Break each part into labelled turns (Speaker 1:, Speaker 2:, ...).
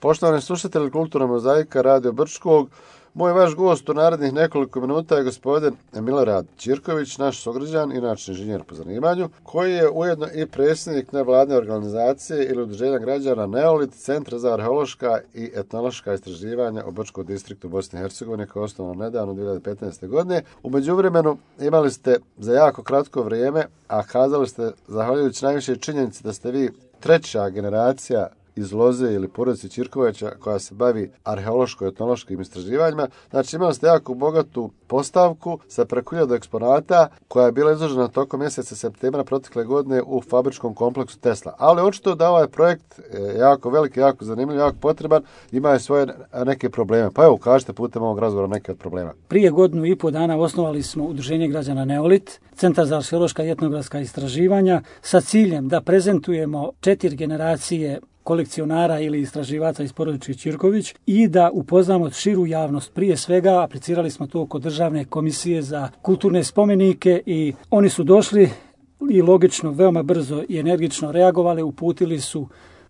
Speaker 1: Poštovani slušatelji Kulturna mozaika Radio Brčkog, moj vaš gost u narednih nekoliko minuta je gospodin Milorad Ćirković, naš sugrađan, inače inženjer po zanimanju, koji je ujedno i predsjednik nevladine organizacije ili udruženja građana Neolit, Centra za arheološka i etnološka istraživanja u Brčkom distriktu Bosne i Hercegovine, koje je osnovano nedavno 2015. godine. U međuvremenu imali ste za jako kratko vrijeme, a kazali ste, zahvaljujući najviše činjenici da ste vi treća generacija iz loze ili porodice Ćirkovića koja se bavi arheološko-etnološkim istraživanjima. Znači imali ste jako bogatu postavku sa preko 1000 eksponata koja je bila izložena tokom mjeseca septembra protekle godine u fabričkom kompleksu Tesla. Ali očito da ovaj projekt jako veliki, jako zanimljiv, jako potreban, ima i svoje neke probleme. Pa evo, kažete putem ovog razgovora neke od problema.
Speaker 2: Prije 1,5 godina osnovali smo udruženje građana Neolit, Centar za arheološka i etnografska istraživanja, sa ciljem da prezentujemo 4 generacije kolekcionara ili istraživača iz porodice Ćirković i da upoznamo širu javnost. Prije svega aplicirali smo to kod Državne komisije za kulturne spomenike i oni su došli i logično, veoma brzo i energično reagovali, uputili su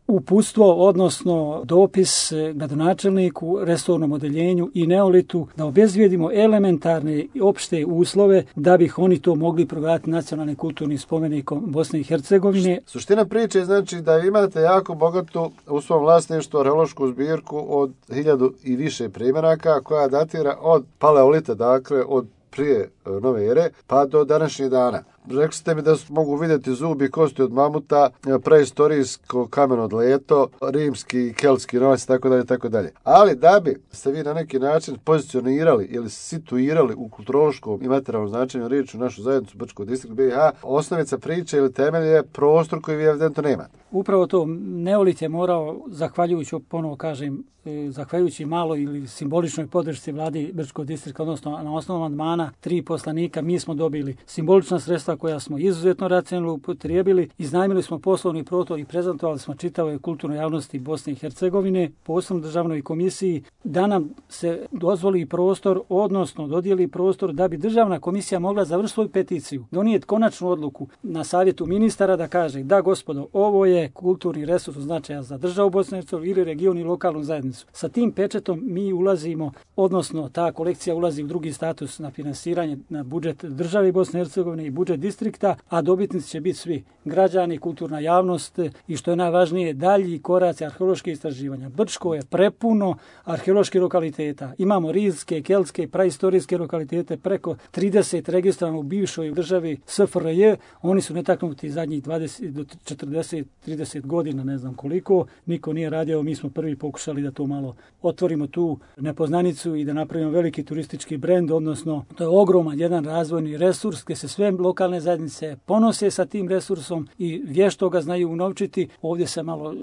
Speaker 2: uputstvo, odnosno dopis gradonačelniku, resornom odeljenju i Neolitu da obezvijedimo elementarne i opšte uslove da bi oni to mogli proglasiti nacionalnim kulturnim spomenikom Bosne i Hercegovine.
Speaker 1: Suština priče je znači da imate jako bogatu u svom vlasništvu arheološku zbirku od 1000 i više primjeraka koja datira od paleolita, dakle od prije nove ere pa do današnjih dana. Rekli ste mi da mogu vidjeti zubi i kosti od mamuta, preistorijsko kameno dleto, rimski i keltski novac i tako dalje. Ali da bi se vi na neki način pozicionirali ili situirali u kulturološkom i materijalnom značenju riječi u našu zajednicu Brčkog distrikta BiH, osnovica priče ili temelj je prostor koji vi evidentno nemate.
Speaker 2: Upravo to, Neolit je morao, zahvaljujući, ponovo kažem, zahvaljujući malo ili simboličnoj podršci vladi Brčkog distrikta, odnosno na osnovu amandmana 3 poslanika, mi smo dobili simbolična sredstva koja smo izuzetno racionalno upotrijebili, iznajmili smo poslovni prostor i prezentovali smo čitavoj kulturnoj javnosti Bosne i Hercegovine, posebno državnoj komisiji, da nam se dozvoli prostor, odnosno dodijeli prostor da bi državna komisija mogla završiti svoju peticiju, donijeti konačnu odluku na savjetu ministara da kaže da gospodo, ovo je kulturni resurs značaja za državu Bosne i Hercegovine ili region i lokalnu zajednicu. Sa tim pečetom mi ulazimo, odnosno ta kolekcija ulazi u drugi status na finansiranje na budžet države Bosne i Hercegovine i budžet distrikta, a dobitnici će biti svi građani, kulturna javnost i što je najvažnije dalji koraci arheološke istraživanja. Brčko je prepuno arheoloških lokaliteta. Imamo rimske, keltske, praistorijske lokalitete, preko 30 registravano u bivšoj državi SFRJ. Oni su netaknuti zadnjih 20 do 40, 30 godina, ne znam koliko. Niko nije radio, mi smo prvi pokušali da to malo otvorimo tu nepoznanicu i da napravimo veliki turistički brend, odnosno to je ogroman jedan razvojni resurs gdje se sve lokalne zajednice ponose sa tim resursom i vješto ga znaju unovčiti. Ovdje se malo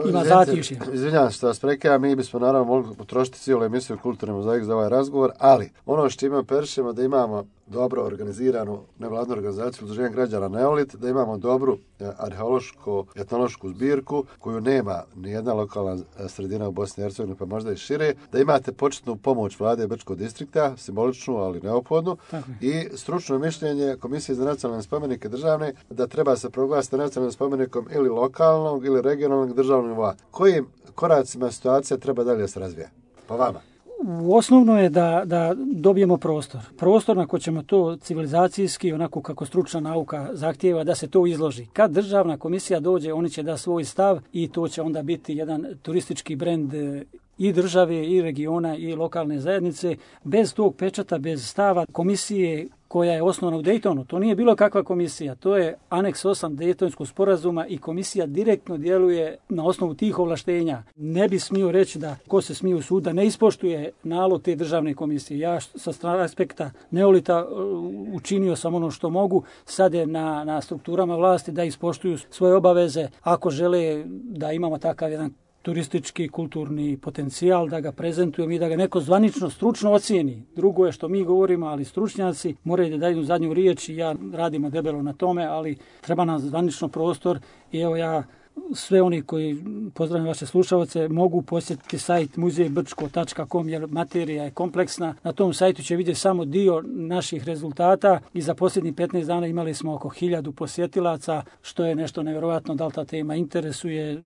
Speaker 2: ima zatišje.
Speaker 1: Izvinjavam se što vas prekidam, mi bismo naravno mogli potrošiti cijelu emisiju Kulturni mozaik za ovaj razgovor, ali ono što imamo perišemo da imamo dobro organiziranu nevladnu organizaciju udruženja građana Neolit, da imamo dobru arheološko-etnološku zbirku koju nema nijedna lokalna sredina u Bosni i Hercegovini, pa možda i šire, da imate početnu pomoć vlade Brčkog distrikta, simboličnu, ali neophodnu, i stručno mišljenje Komisije za nacionalne spomenike državne da treba se proglasiti nacionalnim spomenikom ili lokalnog ili regionalnog državnog nivoa. Kojim koracima situacija treba dalje se razvija? Po vama?
Speaker 2: Osnovno je da dobijemo prostor. Prostor na koji ćemo to civilizacijski, onako kako stručna nauka zahtijeva, da se to izloži. Kad državna komisija dođe, oni će da svoj stav i to će onda biti jedan turistički brend i države, i regiona, i lokalne zajednice. Bez tog pečata, bez stava komisije koja je osnovana u Dejtonu. To nije bilo kakva komisija, to je aneks 8 Dejtonskog sporazuma i komisija direktno djeluje na osnovu tih ovlaštenja. Ne bi smio reći da ko se smije u sud da ne ispoštuje nalog te državne komisije. Ja sa aspekta Neolita učinio sam ono što mogu, sad je na strukturama vlasti da ispoštuju svoje obaveze ako žele da imamo takav jedan turistički, kulturni potencijal, da ga prezentujemo i da ga neko zvanično, stručno ocijeni. Drugo je što mi govorimo, ali stručnjaci moraju da daju zadnju riječ i ja radimo debelo na tome, ali treba nam zvanično prostor i evo ja sve oni koji, pozdravljam vaše slušalce, mogu posjetiti sajt muzejbrčko.com jer materija je kompleksna. Na tom sajtu će vidjeti samo dio naših rezultata i za posljednjih 15 dana imali smo oko 1000 posjetilaca, što je nešto nevjerojatno, da li ta tema interesuje.